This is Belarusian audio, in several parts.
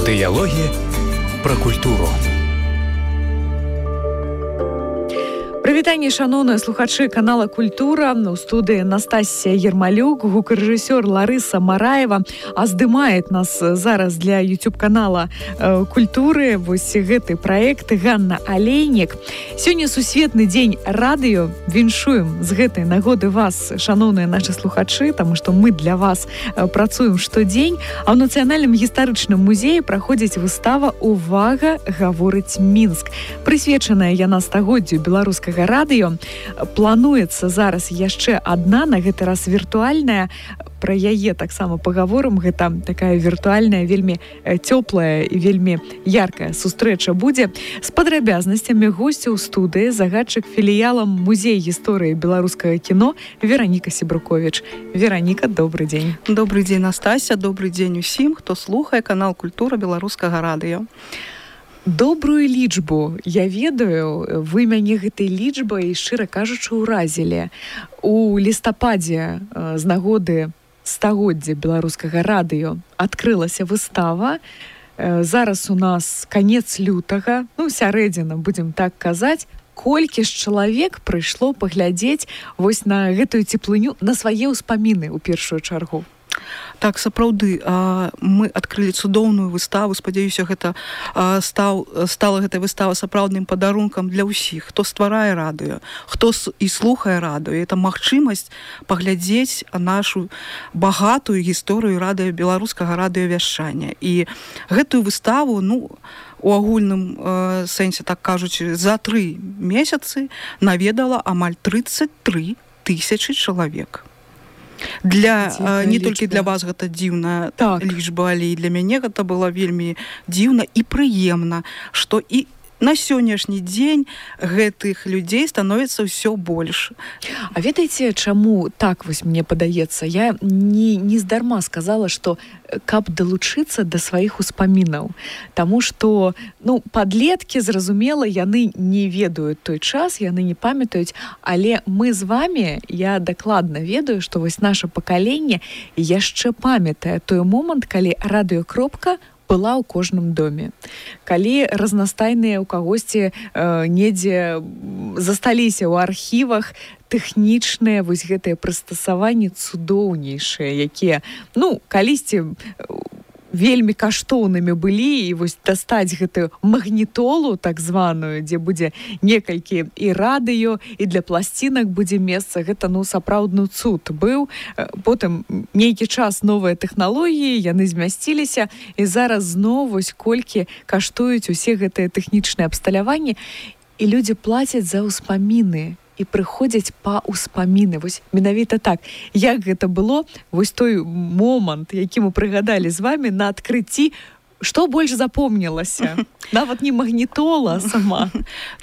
Дыялогі пра культуру. Прывітанне, шаноўныя слухачы канала «Культура». У студыі Настасія Ермалюк, гукарэжысёр Ларыса Мараева. А здымает нас зараз для YouTube-канала «Культуры» вось гэты праект Ганна Алейнік. Сёння сусветны дзень радыё. Віншуем з гэтай нагоды вас, шаноўныя нашы слухачы, таму што мы для вас працуем штодзень. А ў Нацыянальным гістарычным музеі праходзіць выстава «Увага, гаворыць Мінск». Прысвечаная яна стагоддзю беларускага радыё. Плануецца зараз яшчэ адна, на гэты раз віртуальная. Пра яе таксама пагаворым. Гэта такая віртуальная, вельмі цёплая і вельмі яркая сустрэча будзе. З падрабязнасцямі госця ў студыі загадчык філіялам музей гісторыі беларускага кіно Вераніка Сібруковіч. Вераніка, добры дзень. Добры дзень, Настася, добры дзень усім, хто слухае канал «Культура» беларускага радыё. Добрую лічбу я ведаю, вы мяне гэтай лічбай, шчыра кажучы, уразілі. У лістападзе з нагоды стагоддзя беларускага радыё адкрылася выстава. Зараз у нас канец лютага, сярэдзіна, будзем так казаць. Колькі ж чалавек прыйшло паглядзець вось на гэтую цеплыню, на свае ўспаміны ў першую чаргу? Так, сапраўды, мы адкрылі цудоўную выставу. Спадзяюся, гэта стала гэтая выстава сапраўдным падарункам для ўсіх, хто стварае радыё, хто і слухае радыё. Это магчымасць паглядзець нашу багатую гісторыю беларускага радыёвяшчання. І гэтую выставу, у агульным сэнсе, так кажучы, за 3 месяцы наведала амаль 33 тысячы чалавек. Не толькі для вас гэта дзіўная лічба, але і для мяне гэта было вельмі дзіўна і прыемна, што і на сённяшні дзень гэтых людзей становіцца ўсё больш. А ведаеце, чаму так вось мне падаецца? Я не здарма сказала, што каб далучыцца да сваіх успамінаў. Таму што, падлеткі, зразумела, яны не ведаюць той час, яны не памятаюць, але мы з вамі, я дакладна ведаю, што вось наша пакаленне яшчэ памятае той момант, калі радыёкропка была ў кожным доме. Калі разнастайныя ў кагосьці недзе засталіся ў архівах тэхнічныя вось гэтыя прыстасаванні цудоўнейшыя, якія, калісьці вельмі каштоўнымі былі, і вось дастаць гэтую магнітолу так званую, дзе будзе некалькі і радыё, і для пласцінак будзе месца, гэта сапраўдны цуд быў. Потым нейкі час новыя тэхналогіі, яны змясціліся, і зараз зноў вось колькі каштуюць усе гэтыя тэхнічныя абсталяванні, і людзі плацяць за ўспаміны і прыходзяць па ўспаміны. Вось менавіта так. Як гэта было, вось той момант, які мы прыгадалі з вамі на адкрыцці, што больш запомнілася? Нават не магнітола сама.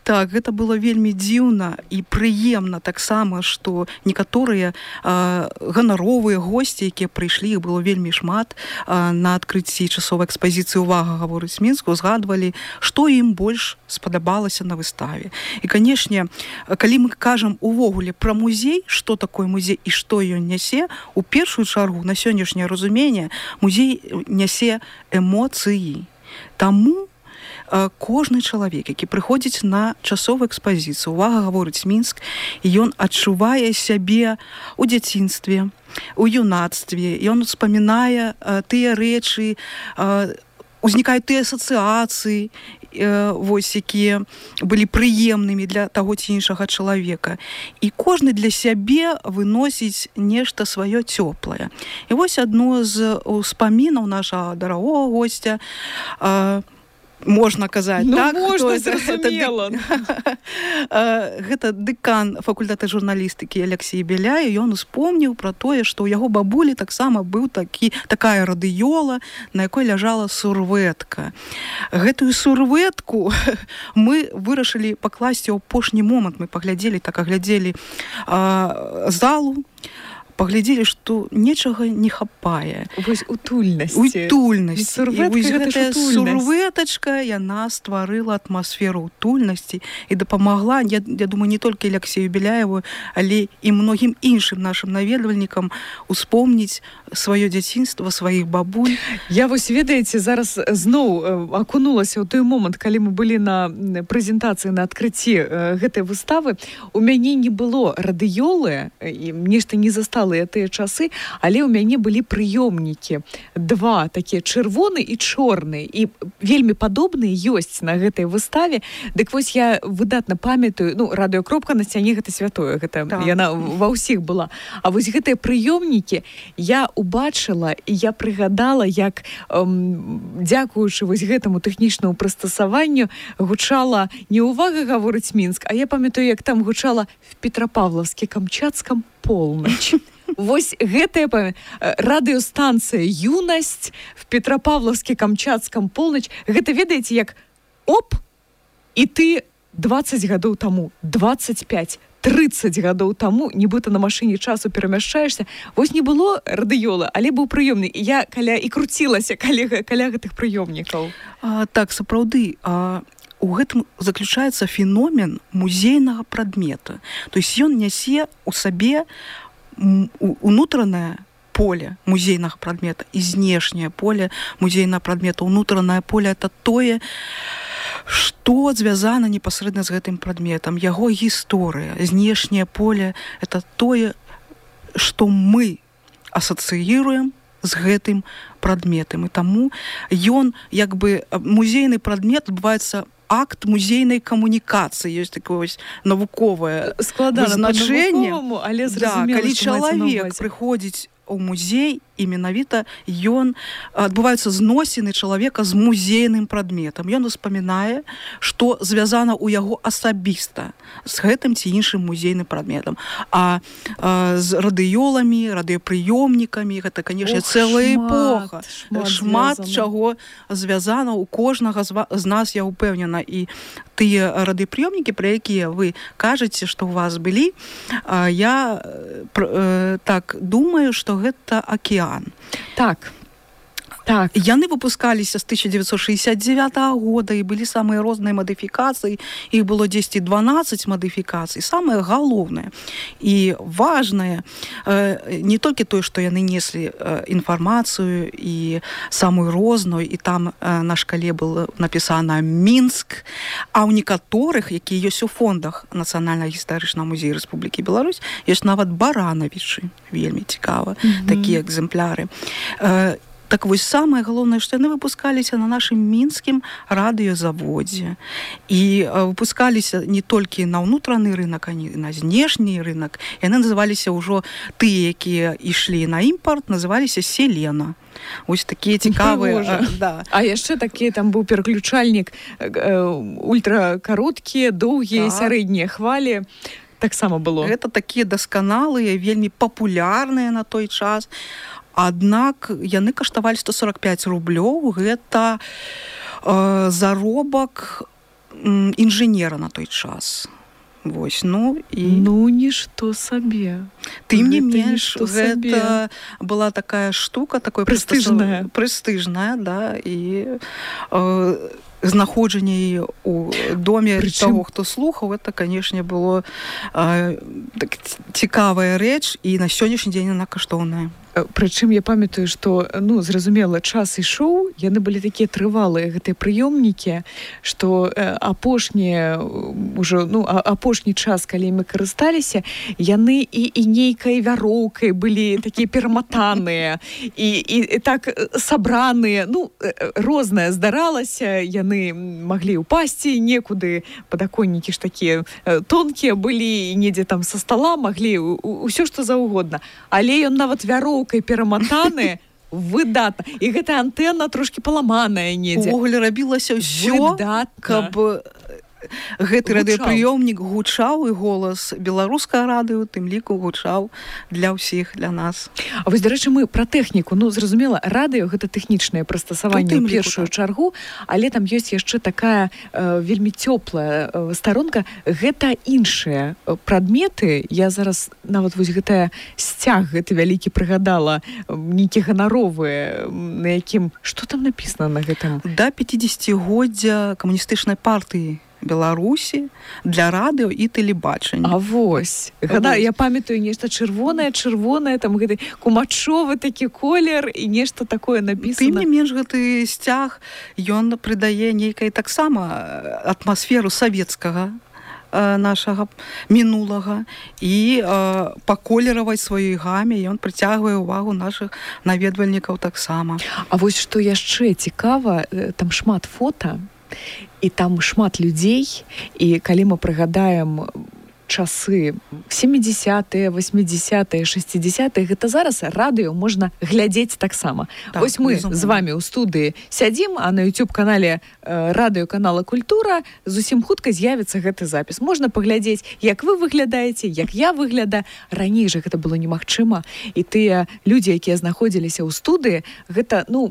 Так, гэта было вельмі дзіўна і прыемна таксама, што некаторыя ганаровыя госці, якія прыйшлі, іх было вельмі шмат, на адкрыцці часовай экспазіцыі «Увага, гаворыць Мінск», узгадвалі, што ім больш спадабалася на выставе. І, канешне, калі мы кажам увогуле пра музей, што такое музей і што ён нясе, у першую чаргу, на сённяшняе разуменне, музей нясе эмоцыі. Таму кожны чалавек, які прыходзіць на часовую экспазіцыю «Увага, гаворыць Мінск», ён адчувае сябе ў дзяцінстве, у юнацтве, ён успамінае тыя рэчы, узнікаюць тыя асацыяцыі, якія былі прыемнымі для таго ці іншага чалавека. І кожны для сябе выносіць нешта сваё цёплае. І вось адно з успамінаў нашага дарагога госця, можна казаць, так? Можна, зразумела. Гэта дэкан факультэта журналістыкі Алексей Беляев, ён успомніў пра тое, што ў яго бабулі таксама быў такая радыёла, на якой ляжала сурвэтка. Гэтую сурвэтку мы вырашылі пакласці ў апошні момант. Мы аглядзелі залу, паглядзелі, што нечага не хапае. Вось утульнасць. Утульнасць. І вось гэтая сурвэтачка, яна стварыла атмасферу утульнасці і дапамагла, я думаю, не толькі Алексею Беляеву, але і многім іншым нашым наведвальнікам успомніць сваё дзяцінства, сваіх бабуль. Я вось, ведаеце, зараз зноў акунулася ў той момант, калі мы былі на прэзентацыі, на адкрыцці гэтай выставы. У мяне не было радыёлы, і нешта не застала тыя часы, але ў мяне былі прыёмнікі. Два такія, чырвоны і чорны, і вельмі падобныя ёсць на гэтай выставе. Дык вось я выдатна памятаю, ну, радыёкропка на сцяне гэта святое, гэта яна ва ўсіх была. А вось гэтыя прыёмнікі я убачыла, і я прыгадала, як дзякуючы вось гэтаму тэхнічнаму прыстасаванню гучала не «Увага, гаворыць Мінск», а я памятаю, як там гучала «В Петропавловске-Камчатском полночь». Вось гэтая радыёстанцыя «Юнасць» в Петропавловске-Камчатском полночь. Гэта, ведаеце, як оп, і ты 20 гадоў таму, 25, 30 гадоў таму, нібыта на машыне часу перамяшчаешся. Вось не было радыёла, але быў прыёмны. І я і круцілася каля гэтых прыёмнікаў. Так, сапраўды, у гэтым заключаецца феномен музейнага прадмета. То есть ён нясе ў сабе унутранае поле музейнага прадмета і знешняе поле музейнага прадмета. Унутранае поле — это тое, што звязана непасрэдна з гэтым прадметам, яго гісторыя. Знешняе поле — это тое, што мы асацыіруем з гэтым прадметам. І таму ён, як бы, музейны прадмет адбываецца акт музейнай камунікацыі, ёсць такое навуковае значэнне. Але зразумела, калі чалавек прыходзіць у музей, і менавіта адбываюцца зносіны чалавека з музейным прадметам. Ён успамінае, што звязана ў яго асабіста з гэтым ці іншым музейным прадметам. А з радыёламі, радыёпрыёмнікамі, гэта, канешне, цэлая эпоха. Шмат чаго звязана ў кожнага з нас, я ўпэўнена. І тыя радыёпрыёмнікі, пра якія вы кажаце, што ў вас былі, я так думаю, што гэта акіян. Так. Яны выпускаліся з 1969 года, і былі самыя розныя мадыфікацыі. Іх было 10-12 мадыфікацый. Самае галоўнае і важнае не толькі тое, што яны неслі інфармацыю і самую розную, і там на шкале было напісана «Мінск», а ў некаторых, якія ёсць у фондах Нацыянальнага гістарычнага музея Рэспублікі Беларусь, ёсць нават баранавічы. Вельмі цікава, такія экземпляры. Так вось, самае галоўнае, што яны выпускаліся на нашым мінскім радыёзаводзе. І выпускаліся не толькі на ўнутраны рынак, а і на знешні рынак. Яны называліся ўжо, тыя, якія ішлі на імпарт, называліся «Селена». Вось такія цікавыя. А яшчэ такі там быў пераключальнік, ультракароткія, доўгія, сярэднія хвалі. Таксама было. Гэта такія дасканалыя, вельмі папулярныя на той час. Аднак яны каштавалі 145 рублёў. Гэта заробак інжынера на той час. Вось, нішто сабе. Тым не менш, гэта была такая штука, такое прэстыжная, да, і знаходжанне у доме таго, хто слухаў, это, канешне, было цікавая рэч, і на сённяшні дзень яна каштоўная. Прычым я памятаю, што, зразумела, час ішоў, яны былі такія трывалыя, гэтыя прыёмнікі, што апошні час, калі мы карысталіся, яны і нейкай вяроўкай былі такія пераматаныя, і так сабраныя, рознае здаралася, яны маглі ўпасці некуды, падаконнікі ж такія тонкія былі, недзе там са стала маглі, усё што заўгодна. Але ён нават вяроўкай пераматаны, выдатна. І гэта антэна трошкі паламаная недзе. Увогуле рабілася ўсё, каб гэты радыёпрыёмнік гучаў, і голас беларускага радыё тым ліку гучаў для ўсіх, для нас. А вось, дарэчы, мы пра тэхніку. Ну, зразумела, радыё — гэта тэхнічнае прыстасаванне ў першую чаргу, але там ёсць яшчэ такая вельмі цёплая старонка. Гэта іншыя прадметы. Я зараз нават вось гэтая сцяг, гэты вялікі прыгадала, нейкі ганаровы, на якім... Што там напісана на гэтым? Да 50-годдзя камуністычнай партыі Беларусі для радыё і тэлебачання. А вось. Я памятаю нешта чырвонае, там гэты кумачовы такі колер і нешта такое напісана. Тым не менш, гэты сцяг, ён прыдае нейкай таксама атмасферу савецкага нашага мінулага, і па колеравай сваёй гаме ён прыцягвае ўвагу нашых наведвальнікаў таксама. А вось што яшчэ цікава, там шмат фота, і там шмат людзей, і калі мы прыгадаем часы 70-е, 80-е, 60-е, гэта зараз радыё можна глядзець таксама. Так, вось мы з вами ў студыі сядзім, а на YouTube-канале радыёканала «Культура» зусім хутка з'явіцца гэты запіс. Можна паглядзець, як вы выглядаеце, як я выглядаю. Раней жа гэта было немагчыма, і тыя людзі, якія знаходзіліся ў студыі, гэта, ну,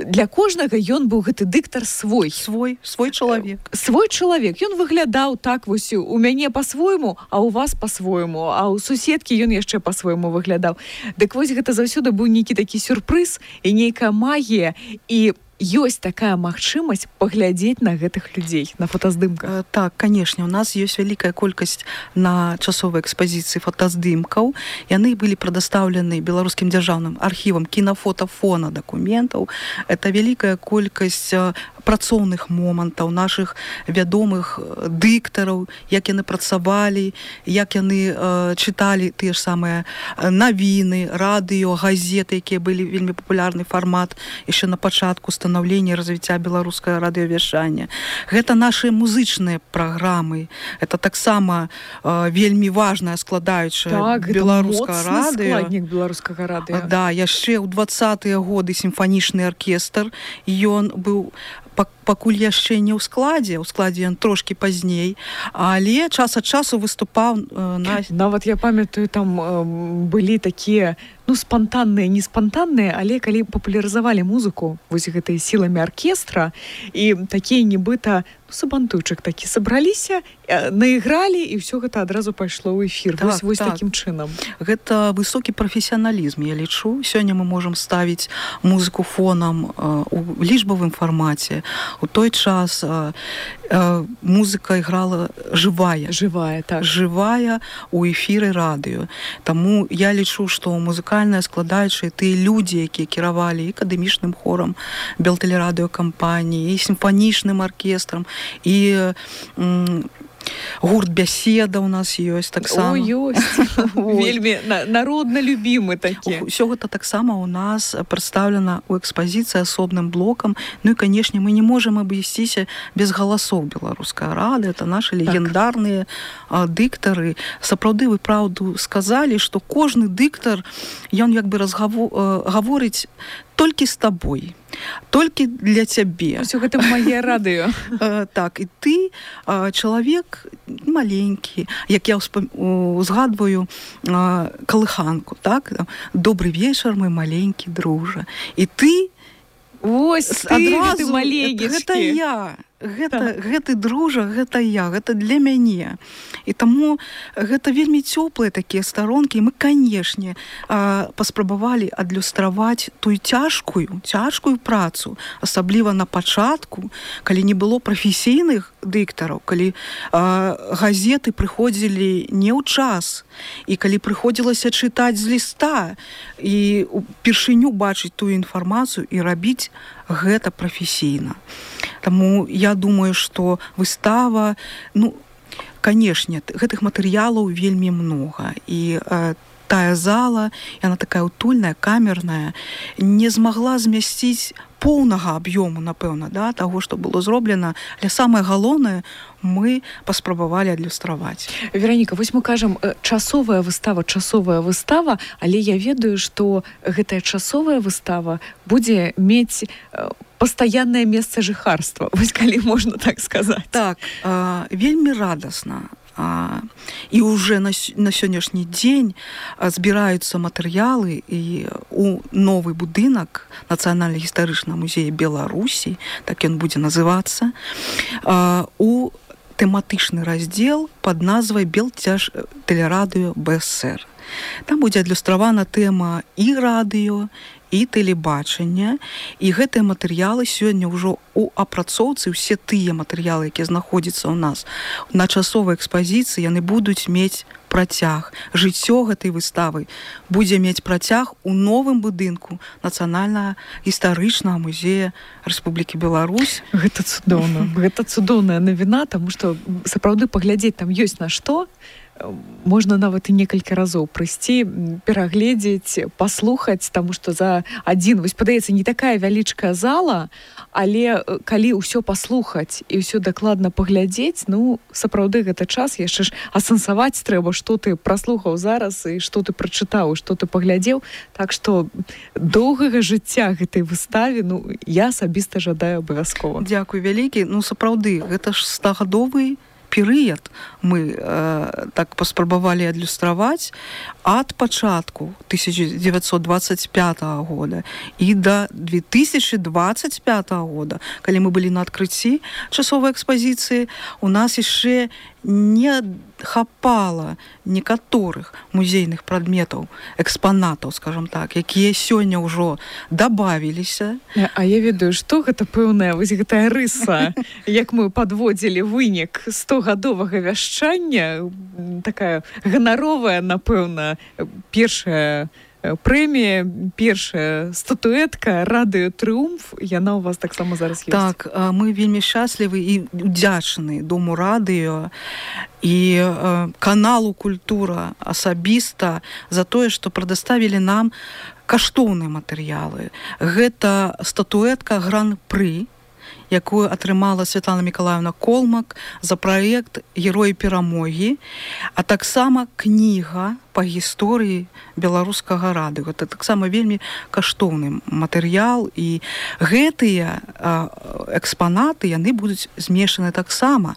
для кожнага ён быў гэты дыктар свой чалавек. Свой чалавек. Ён выглядаў так вось у мяне па-свойму, а у вас па-свойму, а ў суседкі ён яшчэ па-свойму выглядаў. Дык вось гэта заўсёды быў нейкі такі сюрпрыз і нейкая магія, і ёсць такая магчымасць паглядзець на гэтых людзей, на фотаздымках. Так, канешне, у нас ёсць вялікая колькасць на часовай экспазіцыі фотаздымкаў. Яны былі прадастаўлены беларускім дзяржаўным архівам кінафотафона дакументаў. Это вялікая колькасць працоўных момантаў нашых вядомых дыктараў, як яны працавалі, як яны чыталі тыя ж самыя навіны, радыё, газеты, якія былі вельмі папулярны фармат яшчэ на пачатку становлення і развіцця беларускага радыёвяшчання. Гэта нашыя музычныя праграмы. Это таксама вельмі важная складаючая беларускага радыё. Складнік беларускага радыё. Да, яшчэ ў 20-е годы сімфанічны аркестр, ён быў пакуль яшчэ не ў складзе ён трошкі пазней, але час ад часу выступаў на... Нават я памятаю, там былі такія, ну, спантанныя, не спантанныя, але калі папулярызавалі музыку вось гэтыя сіламі аркестра, і такія нібыта, ну, сабантуйчык такі сабраліся, наігралі, і ўсё гэта адразу пайшло ў эфір. Так, вось так. Такім чынам. Гэта высокі прафесіяналізм, я лічу. Сёння мы можам ставіць музыку фонам у лічбавым фармаце. У той час музыка іграла жывая, так. Жывая у эфіры радыё. Таму я лічу, што музыкальная складаючая, тыя людзі, якія кіравалі і акадэмічным хорам Белтэлерадыёкампаніі, і сімфанічным аркестрам, і гурт «Бяседа» у нас ёсць таксама. О, ёсць. Вельмі народна любімы такі. Усё гэта таксама у нас прадстаўлена ў экспазіцыі асобным блокам. Ну і, канешне, мы не можам абысціся без галасоў беларускага радыё. Это нашы легендарныя дыктары. Сапраўды, вы праўду сказалі, што кожны дыктар, ён як бы гаворыць толькі з табой, толькі для цябе. Усё гэта мае радыё. Так, і ты чалавек маленькі, як я узгадваю калыханку, так? Добры вечар, мой маленькі дружа. І ты ось ты маленечкі. Гэта я. Гэты дружа, гэта я, гэта для мяне. І таму гэта вельмі цёплыя такія старонкі. І мы, канешне, паспрабавалі адлюстраваць тую цяжкую працу, асабліва на пачатку, калі не было прафесійных дыктараў, калі газеты прыходзілі не ў час, і калі прыходзілася чытаць з ліста, і упершыню бачыць тую інфармацыю і рабіць гэта прафесійна. Таму я думаю, што выстава, ну, канешне, гэтых матэрыялаў вельмі многа. І тая зала, яна такая утульная, камерная, не змагла змясціць поўнага аб'ёму, напэўна, да, таго, што было зроблена, але самае галоўнае мы паспрабавалі адлюстраваць. Вераніка, вось мы кажам часовая выстава, але я ведаю, што гэтая часовая выстава будзе мець пастаяннае месца жыхарства. Вось калі можна так сказаць. Так, вельмі радасна. І уже на сённяшні дзень збіраюцца матэрыялы і у новы будынак Нацыянальна-гістарычнага музея Беларусі, так ён будзе называцца, у тэматычны раздзел пад назвай Белтэлерадыё БСР. Там будзе адлюстравана тэма і радыё, і тэлебачання, і гэтыя матэрыялы сёння ўжо у апрацоўцы, усе тыя матэрыялы, якія знаходзяцца ў нас на часовай экспазіцыі, яны будуць мець працяг. Жыццё гэтай выставы будзе мець працяг у новым будынку Нацыянальна-гістарычнага музея Рэспублікі Беларусь. Гэта цудоўна. Гэта цудоўная навіна, таму што сапраўды паглядзець там ёсць на што. Можна нават і некалькі разоў прыйсці, перагледзець, паслухаць, таму што за адзін, вось падаецца, не такая вялічкая зала, але калі ўсё паслухаць і ўсё дакладна паглядзець, ну, сапраўды гэта час, яшчэ ж асэнсаваць трэба, што ты праслухаў зараз і што ты прачытаў, што ты паглядзеў. Так што доўгага жыцця гэтай выставе, ну, я асабіста жадаю абавязкова. Дзякуй вялікі. Ну, сапраўды, гэта ж 100-гадовы перыяд мы так паспрабавалі адлюстраваць ад пачатку 1925 года і да 2025 года, калі мы былі на адкрыцці часовай экспазіцыі, у нас яшчэ не хапала некаторых музейных прадметаў, экспанатаў, скажам так, якія сёння ўжо дабавіліся. А я ведаю, што гэта пэўная вось гэтая рыса, як мы падводзілі вынік 100-гадовага вяшчання, такая ганаровая, напэўна, першая прэмія, першая статуэтка «Радыё Трыумф», яна у вас таксама зараз ёсць. Так, мы вельмі шчаслівы і удзячны Дому радыё і каналу «Культура» асабіста за тое, што прадаставілі нам каштоўныя матэрыялы. Гэта статуэтка Гран-пры, якую атрымала Святлана Мікалаевна Колмак за праект «Героі перамогі», а таксама кніга па гісторыі беларускага радыё. Гэта таксама вельмі каштоўны матэрыял, і гэтыя экспанаты, яны будуць змешчаны таксама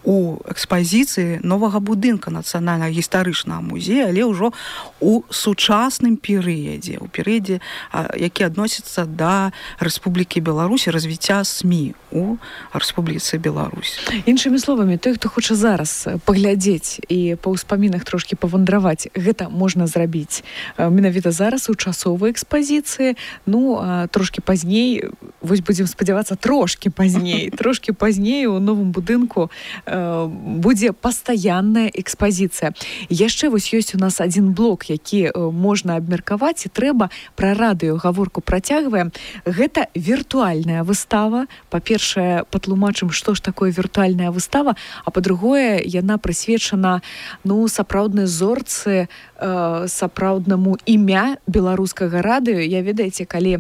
у экспазіцыі новага будынка Нацыянальнага гістарычнага музея, але ўжо у сучасным перыядзе, у перыядзе, які адносіцца да Рэспублікі Беларусь, развіцця СМІ у Рэспубліцы Беларусь. Іншымі словамі, той, хто хоча зараз паглядзець і па ўспамінах трошкі павандраваць, гэта можна зрабіць менавіта зараз у часовай экспазіцыі. Ну, трошкі пазней, вось будзем спадзявацца, трошкі пазней у новым будынку будзе пастаянная экспазіцыя. Яшчэ вось ёсць у нас адзін блок, які можна абмеркаваць, і трэба пра радыё гаворку працягваем. Гэта віртуальная выстава. Па-першае, патлумачым, што ж такое віртуальная выстава, а па-другое, яна прысвечана, ну, сапраўднай зорцы, сапраўднаму імя беларускага радыё. Я, ведаеце, калі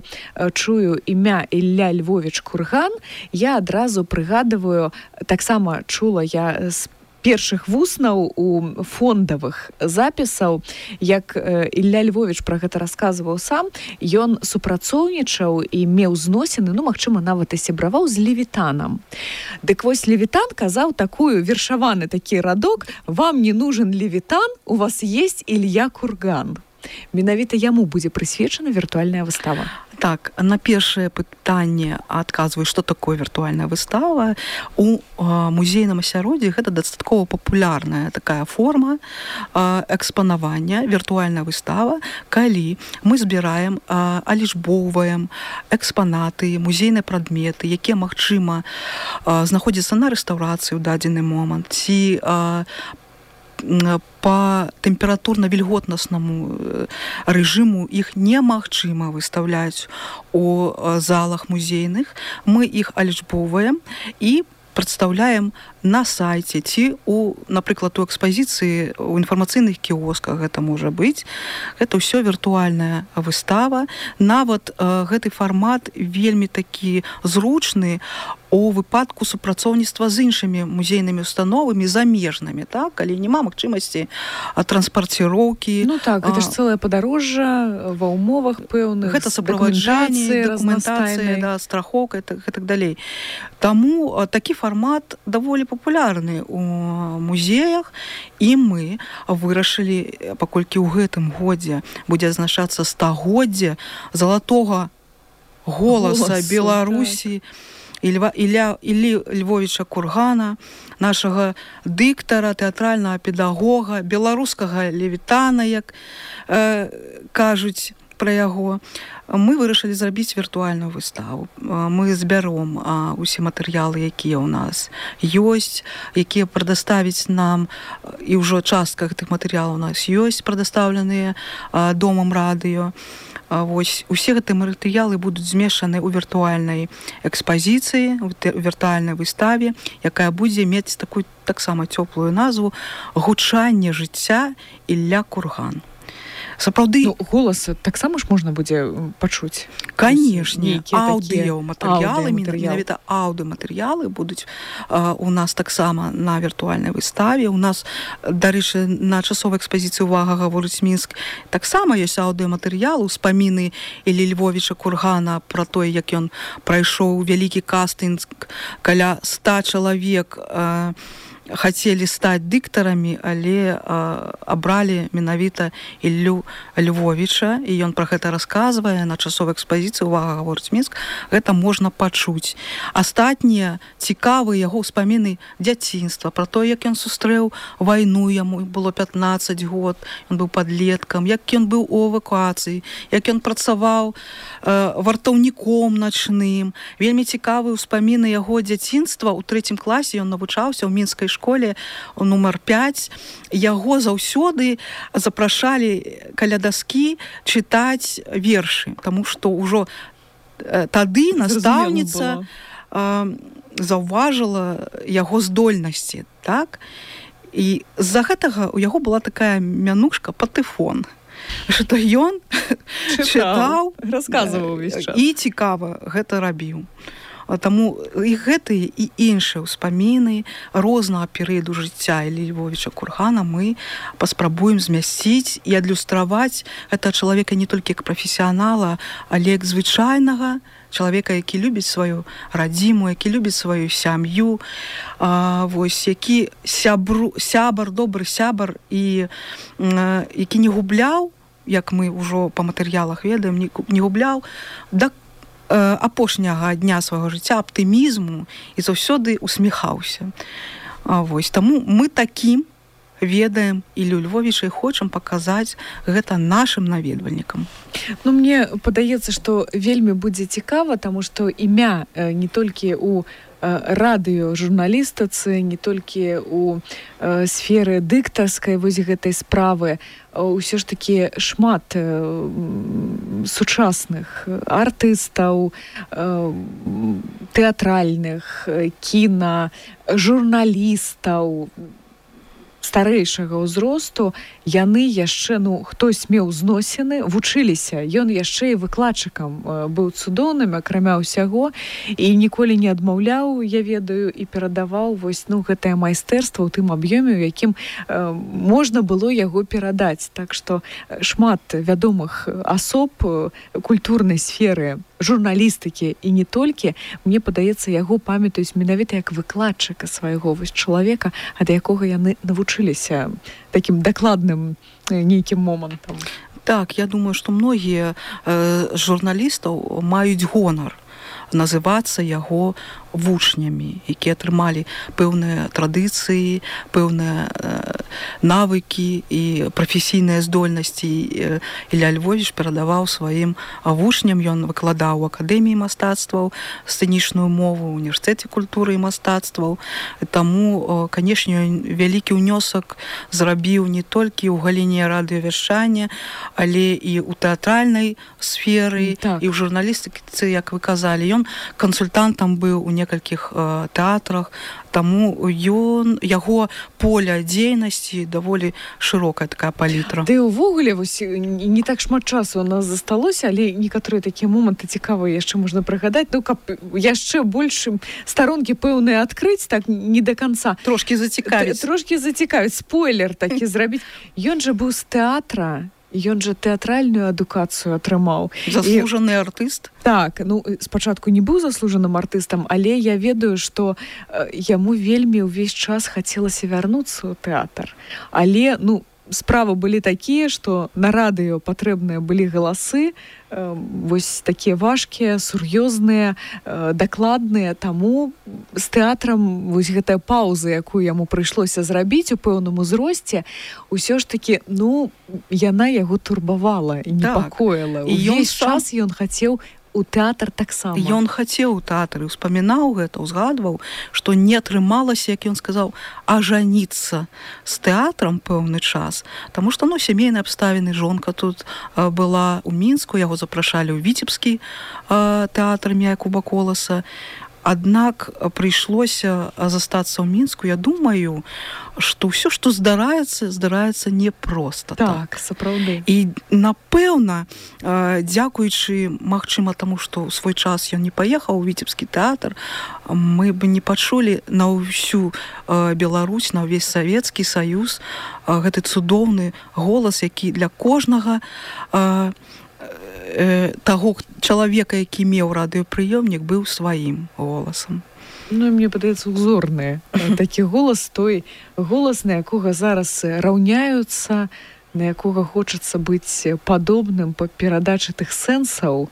чую імя Ілля Львовіч Курган, я адразу прыгадываю, таксама чула я з першых вуснаў у фондавых запісаў, як Ілля Львовіч пра гэта расказваў сам. Ён супрацоўнічаў і меў зносіны, ну, магчыма, нават і сябраваў з Левітанам. Дык вось Левітан казаў такую вершаваны такі радок: «Вам не нужен Левітан, у вас есть Ілья Курган». Менавіта яму будзе прысвечана віртуальная выстава. Так, на першае пытанне адказваю, што такое віртуальная выстава. У музейным асяроддзі гэта дастаткова папулярная такая форма экспанавання, віртуальная выстава, калі мы збіраем, алічбоўваем экспанаты, музейныя прадметы, якія, магчыма, знаходзяцца на рэстаўрацыі ў дадзены момант, ці па тэмпературна-вільготнаснаму рэжыму іх немагчыма выстаўляць у залах музейных. Мы іх алічбоўваем і прадстаўляем на сайце ці напрыклад у экспазіцыі у інфармацыйных кіосках гэта можа быць. Гэта ўсё віртуальная выстава. Нават гэты фармат вельмі такі зручны у выпадку супрацоўніцтва з іншымі музейнымі установамі замежнымі, так, калі няма магчымасці транспарціроўкі. Ну так, гэта ж цэлае падарожжа ва ўмовах пэўных, гэта супроваджанне, дакументацыя, да, страхоўка і так далей. Таму такі фармат даволі папулярны у музеях, і мы вырашылі, паколькі ў гэтым годзе будзе адзначацца стагоддзе залатога голаса Беларусі, так. Іллі Львовіча Кургана, нашага дыктара, тэатральнага педагога, беларускага левітана, як кажуць пра яго. Мы вырашылі зрабіць віртуальную выставу. Мы збяром усе матэрыялы, якія ў нас ёсць, якія прадаставіць нам, і ўжо частка гэтых матэрыялаў у нас ёсць, прадастаўленыя Домам радыё. Вось, усе гэтыя матэрыялы будуць змешаны ў віртуальнай экспазіцыі, у віртуальнай выставе, якая будзе мець такую таксама цёплую назву «Гучанне жыцця Ілля Курган». Сапраўды, ну, голас таксама ж можна будзе пачуць. Канешне, аўдыёматэрыялы, менавіта аўдыёматэрыялы будуць у нас таксама на віртуальнай выставе. У нас, дарэчы, на часовай экспазіцыі «Увага, гаворыць Мінск» таксама ёсць аўдыёматэрыялы, успаміны Іллі Львовіча Кургана пра тое, як ён прайшоў вялікі кастынг, каля 100 чалавек хацелі стаць дыктарамі, але абралі менавіта Іллю Львовіча, і ён пра гэта расказвае на часовай экспазіцыі «Увага, гаворыць Мінск». Гэта можна пачуць. Астатнія цікавыя яго ўспаміны дзяцінства, пра тое, як ён сустрэў вайну, яму было 15 год, ён быў падлеткам, як ён быў у эвакуацыі, як ён працаваў вартаўніком начным. Вельмі цікавыя ўспаміны яго дзяцінства. У 3 класе ён навучаўся ў мінскай школе нумар 5. Яго заўсёды запрашалі каля даскі чытаць вершы, таму што ўжо тады настаўніца заўважыла яго здольнасці, так? І з-за гэтага у яго была такая мянушка Патэфон, што ён чытаў, расказваў увесь час. І цікава гэта рабіў. Таму і гэтыя і іншыя ўспаміны рознага перыяду жыцця Іллі Львовіча Кургана мы паспрабуем змясціць і адлюстраваць гэта чалавека не толькі як прафесіянала, але як звычайнага чалавека, які любіць сваю радзіму, які любіць сваю сям'ю, вось, які сябар, добры сябар, і які не губляў, як мы ўжо па матэрыялах ведаем, не губляў да апошняга дня свайго жыцця аптымізму і заўсёды усміхаўся. Вось, таму мы такім ведаем Іллю Львовіча і хочам паказаць гэта нашым наведвальнікам. Ну, мне падаецца, што вельмі будзе цікава, таму што імя не толькі у радыёжурналістыцы, не толькі у сферы дыктарскай вось гэтай справы, ўсё ж такі шмат сучасных артыстаў, тэатральных, кіна, журналістаў старэйшага ўзросту, яны яшчэ, ну, хтось меў зносіны, вучыліся. Ён яшчэ і выкладчыкам быў цудоўным, акрамя ўсяго, і ніколі не адмаўляў, я ведаю, і перадаваў вось, ну, гэтае майстэрства ў тым аб'ёме, у якім можна было яго перадаць. Так што шмат вядомых асоб культурнай сферы, журналістыкі і не толькі, мне падаецца, яго памятаюць менавіта як выкладчыка свайго вось чалавека, ад якога яны навучыліся такім дакладным нейкім момантам. Так, я думаю, што многія журналістаў маюць гонар называцца яго вучнямі, якія атрымалі пэўныя традыцыі, пэўныя навыкі і прафесійныя здольнасці. Ілля Львовіч перадаваў сваім вучням, ён выкладаў у акадэміі мастацтваў сцэнічную мову, у універсітэце культуры і мастацтваў. Таму, канешне, вялікі ўнёсак зрабіў не толькі ў галіне радыёвяшчання, але і ў тэатральнай сферы, так. І ў журналістыцы, як вы казалі. Ён ён кансультантам быў у некалькіх тэатрах, таму яго поле дзейнасці даволі шырокая такая палітра. Ды ўвогуле не так шмат часу у нас засталося, але некаторыя такія моманты цікавыя яшчэ можна прыгадаць, ну каб яшчэ больш старонкі пэўныя адкрыць, так не до конца. Трошкі зацікавіць, спойлер такі зрабіць. Ён жа быў з тэатра, ён жа тэатральную адукацыю атрымаў. Заслужаны артыст? Так, ну спачатку не быў заслужаным артыстам, але я ведаю, што яму вельмі ўвесь час хацелася вярнуцца ў тэатр. Але, справы былі такія, што на радыё патрэбныя былі галасы, вось такія важкія, сур'ёзныя, дакладныя, таму з тэатрам вось гэтая паўза, якую яму прыйшлося зрабіць у пэўным узросце, усё ж такі, яна яго турбавала і непакоіла. Увесь час ён хацеў у тэатр таксама. Ён хацеў у тэатры, успамінаў гэта, узгадваў, што не атрымалася, як ён сказаў, ажаніцца з тэатрам пэўны час, таму што, сямейныя абставіны, жонка тут была ў Мінску, яго запрашалі ў Віцебскі тэатр імя Якуба Коласа. Аднак прыйшлося застацца ў Мінску. Я думаю, што ўсё, што здараецца не проста. Так, сапраўды. І, напэўна, дзякуючы, магчыма, таму, што ў свой час ён не паехаў у Віцебскі тэатр, мы б не пачулі на ўсю Беларусь, на ўвесь Савецкі Саюз гэты цудоўны голас, які для кожнага таго чалавека, які меў радыёпрыёмнік, быў сваім голасам. Мне падаецца, узорны такі голас, той голас, на якога зараз раўняюцца, на якога хочацца быць падобным па перадачы тых сэнсаў.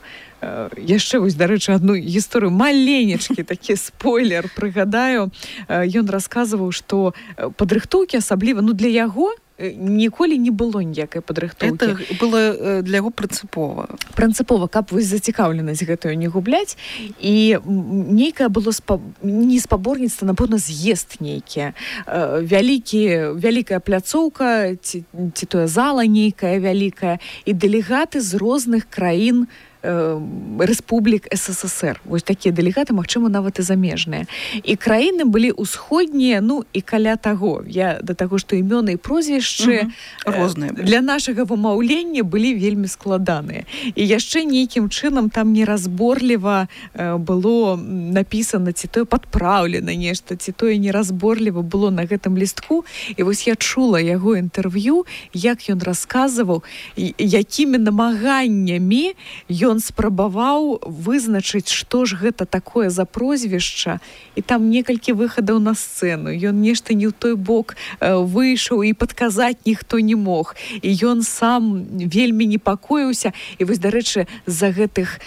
Яшчэ вось, дарэчы, адну гісторыю, маленечкі такі спойлер прыгадаю. Ён расказваў, што падрыхтоўкі асабліва, для яго ніколі не было ніякай падрыхтоўкі. Это было для яго прынцыпова. Прынцыпова, каб вось зацікаўленасць гэтую не губляць. І нейкае было не спаборніцтва, напэўна, з'езд нейкі. Вялікая пляцоўка, ці тое зала нейкая вялікая, і дэлегаты з розных краін рэспублік СССР. Вось такія дэлегаты, магчыма, нават і замежныя. І краіны былі ўсходнія, і каля таго. Я да таго, што імёны і прозвішчы розныя для нашага вымаўлення былі вельмі складаныя. І яшчэ нейкім чынам там неразборліва было напісана, ці тое падпраўлена нешта, ці тое неразборліва было на гэтым лістку. І вось я чула яго інтэрв'ю, як ён расказваў, якімі намаганнямі ён спрабаваў вызначыць, што ж гэта такое за прозвішча, і там некалькі выхадаў на сцэну. Ён нешта не ў той бок выйшаў, і падказаць ніхто не мог. І ён сам вельмі непакоіўся. І вось, дарэчы, з-за гэтых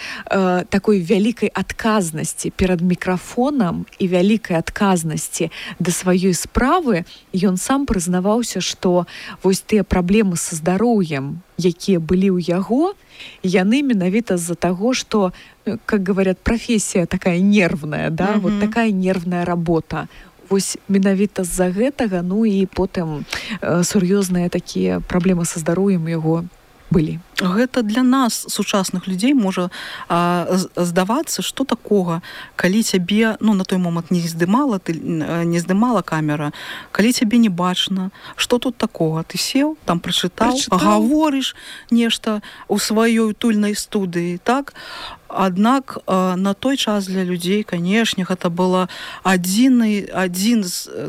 такой вялікай адказнасці перад мікрафонам і вялікай адказнасці да сваёй справы, ён сам прызнаваўся, што вось тыя праблемы са здароўем, якія былі ў яго, яны менавіта з-за таго, што, как говорят, профессия такая нервная, да, вот такая нервная работа. Вось менавіта з-за гэтага, і потым сур'ёзныя такія праблемы са здароўем у яго былі. Гэта для нас, сучасных людзей, можа здавацца, што такога, калі цябе, на той момант не здымала камера, калі цябе не бачна, што тут такога? Ты сеў, там прачытаў, гаворыш нешта ў сваёй утульнай студыі, так? Аднак на той час для людзей, канешне, гэта было адзін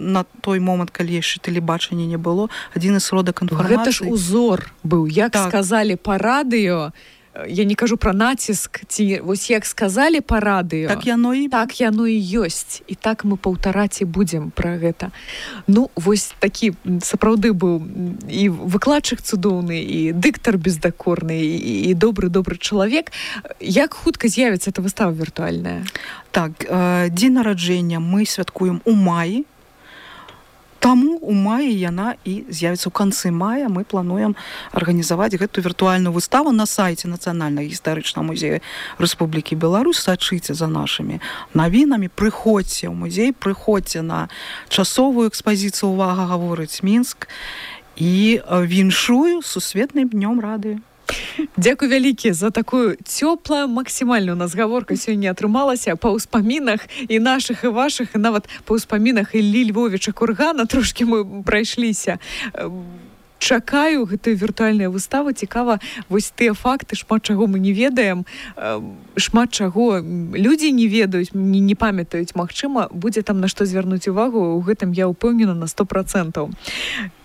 на той момант, калі яшчэ тэлебачання не было, адзін з сродак інфармацыі. Гэта ж узор быў, як сказалі па радыё, я не кажу пра націск, ці вось як сказалі па радыё, так яно і ёсць, і так мы паўтараць і будзем пра гэта. Вось такі сапраўды быў і выкладчык цудоўны, і дыктар бездакорны, і добры чалавек. Як хутка з'явіцца эта выстава віртуальная? Так, дзень нараджэння мы святкуем у маі. Таму у маі яна і з'явіцца ў канцы мая. Мы плануем арганізаваць гэту віртуальную выставу на сайце Нацыянальнага гістарычнага музея Рэспублікі Беларусь. Сачыце за нашымі навінамі, прыходзьце ў музей, прыходзьце на часовую экспазіцыю «Увага, гаворыць Мінск» і віншую сусветным днём радыё. Дзякуй вялікі за такую цёплую максімальную у нас гаворка сёння атрымалася па ўспамінах і нашых і вашых, і нават па ўспамінах Іллі Львовіча Кургана трошкі мы прайшліся. Чакаю гэтую віртуальную выставу. Цікава вось тыя факты, шмат чаго мы не ведаем, шмат чаго людзі не ведаюць, не памятаюць. Магчыма, будзе там на што звярнуць увагу, у гэтым я ўпэўнена на 100%.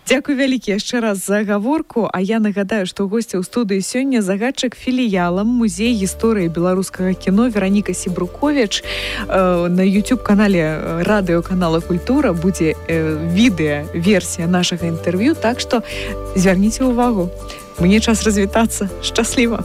Дзякуй вялікі яшчэ раз за гаворку, а я нагадаю, што госця ў студыі сёння загадчык філіялам Музей гісторыі беларускага кіно Вераніка Сібруковіч. На YouTube-канале радыёканала Культура будзе відэа-версія нашага інтэрв'ю, так што звярніце ўвагу. Мне час развітацца. Шчасліва!